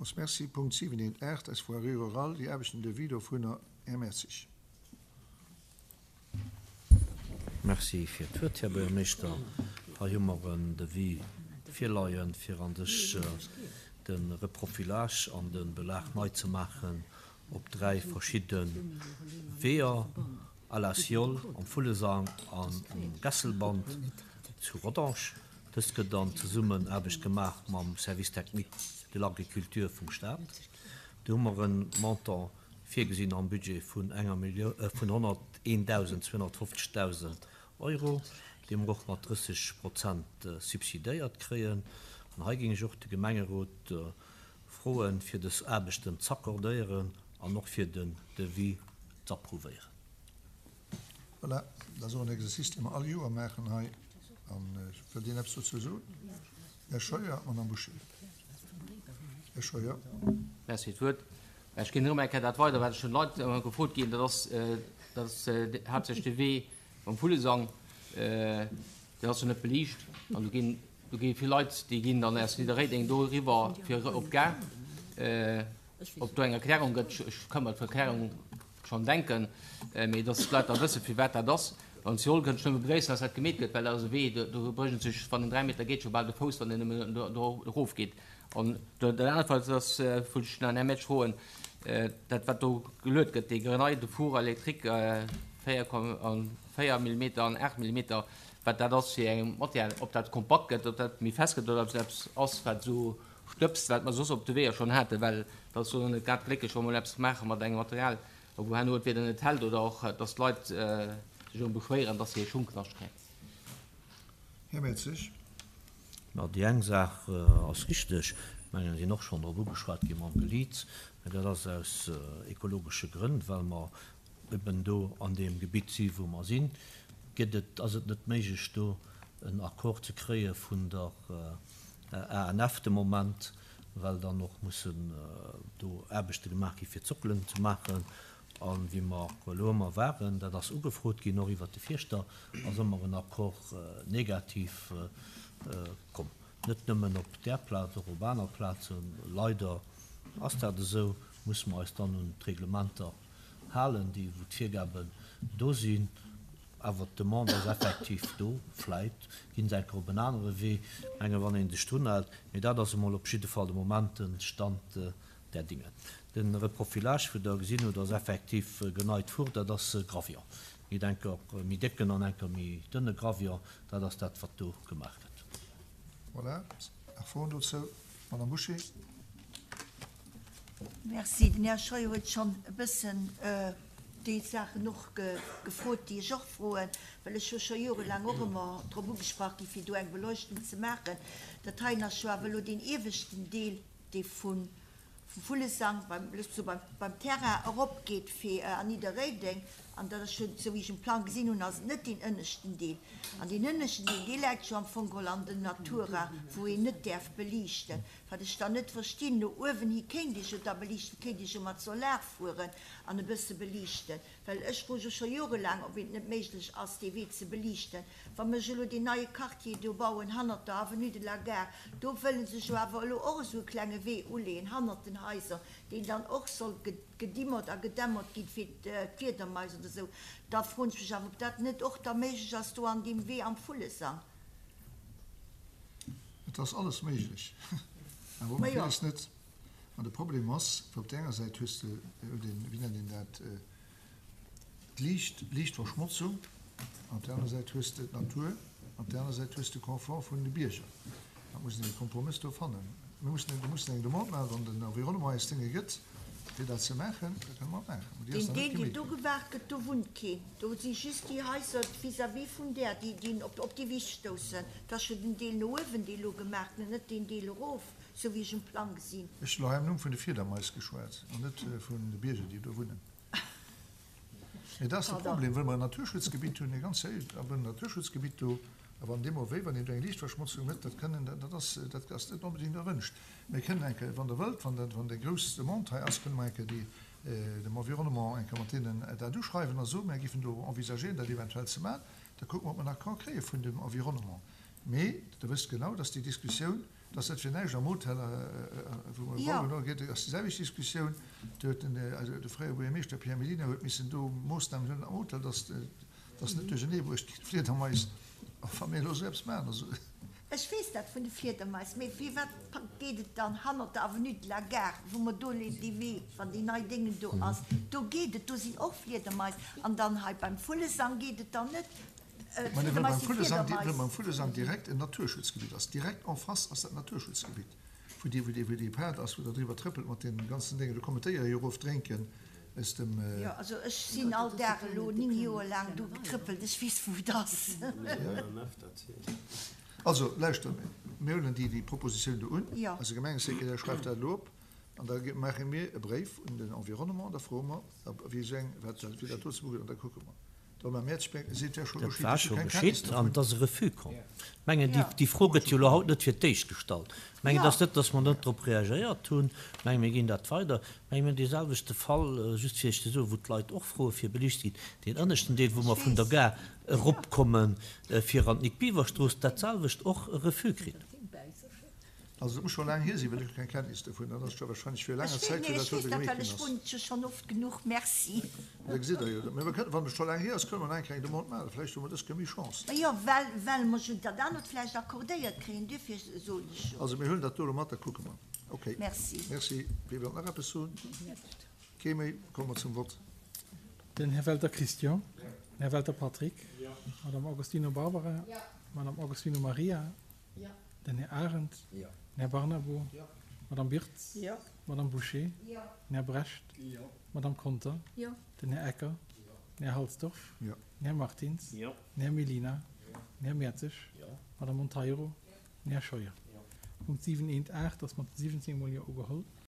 Villmools Merci. Punkt 7.8, eis Voirie rurale, déi Aarbechten, Devis dovunner, Här Mertzig. Merci fir d'Wuert, Här Buergermeeschter. Hei hu mer en Devis virleien, fir an sech de Reprofilage an de Belag nei ze maachen op 3 verschidde Weeër, à la Siol, am Vullesang an um Gesselband zu Rodange. Dëst gëtt an Zesummenaarbecht gemaach mam Service technique de l'agriculture vum Stat. Do hu mer e Montant virgesinn am Budget vun enger Millioun, vun 101.250. Euro, dee mer och mat 30 Prozent subsidéiert kréien. An hei géing ech och de Gemengerot froen, fir dës Aarbechten z'accordéieren an och fir den Devis z'approuvéieren. Voilà, dat ass och en Exercice, dee mer all Joer maachen hei. An wëllt een eppes dozou soen? Här Scheuer, Madame Bouché. Här Scheuer. Merci fir d'Wuert. Ech ginn erëm eng Kéier dat weider, wat ech vun Leit ëmmer gefrot ginn. Dat ass, dat ass haaptsächlech de Wee mam Vullesang. Deen ass jo net beliicht. An do ginn, do gi vill Leit, déi ginn dann aus Nidderréideng do eriwwer fir op d'Gare. Ob do eng Erklärung gëtt, ech ka mer d'Erklärung schonn denken, mee dass d'Leit da wëssen, firwat dat ass. An Seoul kënnt ech nëmme begréissen, dass dat gemeet gëtt, well dat ass e Wee, do brécht een sech, wann een 3 Meter geet, scho bal de Fouss, wann een nëmmen do erofgeet. An dat anert, wat ass, wollt ech nach den Här Metsch froen, dat wat do geluet gëtt, dee Grenade de four électrique 4 Millimeter an 8 Millimeter, wat dat ass fir eng Matière, ob dat kompakt gëtt, ob dat méi fest gëtt oder ob dat eppes ass, wat esou stëbst, wat mer soss op de Weeër schonn haten, well dat ass jo net grad glécklech, wa mer eppes maache mat engem Material, wou herno entweder net hält oder och, dass d'Leit sech erëm beschwéieren, dass se hir Schung knascht kréien. Här Mertzig. Ma déi eng Saach ass richteg, ech mengen, et sinn och schonn drop ugeschwat gi mam Geliits, mä dat ass aus ekologesche Grënn, well mer eben do an deem Gebitt si wou mer sinn, gëtt et, ass et net méiglech do en Accord ze kréie vun der ANF de Moment, well dann och mussen do Aarbechte gemaach gi fir d'Sockelen ze maachen. A wéi mer elo ëmmer waren, dat ass ugefrot ginn, och iwwert de Fierschter, ass ëmmer en Accord negativ komm. Net nëmmen op där Plaz, och op aner Plazen. Leider ass dat esou, musse mer eis dann un d'Reglementer halen, déi wou d'Virgaben do sinn. Awer d'Demande ass effektiv do. Vläit ginn se eng Kéier op en anere Wee, menge wann ee sech drun hält. Mee dat ass emol op jidde Fall de Moment de Stand der Dinge. De Reprofilage, wou Der gesinn hutt, ass effektiv geneit Four, dat ass Gravion. Méi enker méi décken an enker méi dënne Gravion, dat ass dat, wat do gemaach gëtt. Voilà. Nach Froen dozou? Madame Bouché. Merci. Den Här Scheuer huet schonn e bëssen déi Saachen och gefrot, déi ech och froen, well ech hu scho jorelaang och ëmmer drop ugesprach gi fir do eng Beleuchtung ze maachen. Dat heien ass jo awer elo deen ieweschten Deel, dee vum Vullesang beim, looss mer soen, beim Terrain eropgeet fir an Nidderréideng. An dat ass jo, esou wéi ech um Plang gesinn hunn, ass et net deen ënneschten Deel. An deen ënneschten Deel, dee läit jo am Fong geholl an der Natura, wou een net däerf beliichten. Wat ech dann net verstinn, no uewen hi kéint ee jo da beliichten, kéint ee jo mat Solar fueren an e bësse beliichten, well ech froe jo scho jorelaang, ob et net méiglech ass, dee Wee ze beliichten. Wa mer elo deen neie Quartier do bauen hannert der Avenue de la Gare, do wëlle se jo awer elo och esou e klenge Wee uleeën hannert den Haiser, deen dann och soll gedimmert a gedämmert ginn fir d'Fliedermais oder esou, da froen ech mech awer, ob dat net och da méiglech ass do an deem Wee am Vullesang. Et ass alles méiglech, awer och villes net. An de Problem ass, op där enger Säit hues de den, wéi nennt een dat, d'Liicht, d'Liichtverschmotzung, an op där aner Säit hues de d'Natur, an op där aner Säit hues de Confort vun de Bierger. Dat muss een e Kompromëss do fannen. Mir mussen, mir mussen eng Demande maachen, wann den Environnement eis Dénge gëtt, fir dat ze maachen, da kënne mer et maachen. Mee déi ass Deen nach net Deel, deen gemeet do ginn. gewaart gëtt, do wunnt keen. Do si just déi Haiser vis-à-vis vun där, déi, déi op, op déi Wiss stoussen. Et ass jo den Deel no uewen, dee elo gemaach gëtt, net deen Deel erof, sou wéi ech um Plang gesinn. Ech hunn elo hei am Numm vun de Fiedermais geschwat an net vun de Bierger, déi do wunnen. Mee dat ass de Problem, wëll mer en Naturschutzgebitt hunn, e ganz héicht Naturschutzgebitt do, a wann deemno wéi, wann een do eng Liichtverschmotzung huet, dat kënnen, dat ass, dat ass net onbedéngt erwünscht. Mir kënnen eng Kéier, wann Der wëllt, wann dat, wann déi grouss Demande hei ass, kënne mer eng Kéier déi, dem Environnement eng Kéier mat deenen dat uschreiwen a soen, mir géifen do envisagéieren, dat eventuell ze maachen. Da kucke mer, ob mer en Accord kréie vun dem Environnement. Mee Der wësst genau, dass déi Diskussioun. Et ass net fir näischt am Hotel, wou mer bauen, do geet, ass déi selwecht Diskussioun. Do huet den, also de fréiere Buergermeeschter Pierre Mellina huet missen do Moossnamen huelen am Hotel, dass, dass net duerchernee bruecht ginn, d'Fliedermais. A wa mir elo esou eppes maachen, also. Ech weess dat vun de Fliedermais, mee firwat geet et dann hannert der Avenue de la Gare, wou mer do dee Wee, wann déi nei Déngen do ass, do geet et, do sinn och Fliedermais. An dann hei beim Vullesang geet et dann net. Mä wëll beim Vullesang, wëll beim Vullesang direkt en Naturschutzgebitt ass, direkt en face ass dat Naturschutzgebitt, wou dee, wou dee, wou dee Pad ass, wou der driwwer trëppelt mat deenen ganzen Déngen, do kommen d'Déiere jo erof drénken aus dem. Jo, also ech sinn all Dag elo 9 Joer laang do getrëppelt, ech weess wou et ass. Also lauschtert, mir huelen déi, déi Propositioun do un, eise Gemengesekretär schreift dat elo op an da maache mir e Bréif un den Environnement an da froe mer, wéi esou eng, wat dat, wéi dat do zebugeet an da kucke mer. Dat war scho geschitt an et ass e Refus komm. Ech mengen, déi Fro gëtt jo elo haut net fir d'éischt gestallt. Ech mengen, et ass net, datt mer net drop reagéiert hunn. Ech mengen, mir ginn dat weider. Ech mengen, mir hunn deeselwechte Fall, just fir Iech ze soen, wou d'Leit och froe fir beliicht ze ginn, deen ënneschten Deel, wou mer vun der Gare eropkomme fir an d'Nick-Biever-Strooss, datselwecht och e Refus kritt. Also et muss scho laang hier sinn, well ech hu keng Kenntnis dovun. Dat ass scho wahrscheinlech vir laanger Zäit, wou dat do gemeet ginn ass. Ech weess dat, well ech wunnen jo schonn oft genuch. Merci. Da gesitt Der jo. Mee mer kënnen, wann et scho laang hier ass, kënne mer nach eng kleng Demande maachen. Vläicht hu mer dës Kéier méi Chance. Jo, well, well mer jo dat anert vläicht accordéiert kréien. Duerfir soen ech jo. Also mir huelen dat do elo mat, da kucke mer. Okay. Merci. Merci. Wie wëllt nach eppes soen? Kee méi? Komme mer zum Vott. Den Här Welter Christian. Den Här Welter Patrick. Madame Agostino Barbara. Madame Agostino Maria. Den Här Arendt. Den Här Barnabo. D'Madame Birtz. D'Madame Bouché. Den Här Brecht. D'Madame Conter. Den Här Ecker. Den Här Halsdorf. Den Här Martins. Den Här Mellina. Den Här Mertzig. D'Madame Monteiro. Den Här Scheuer. Punkt 7 eent 8 ass mat 17 mol Jo ugeholl.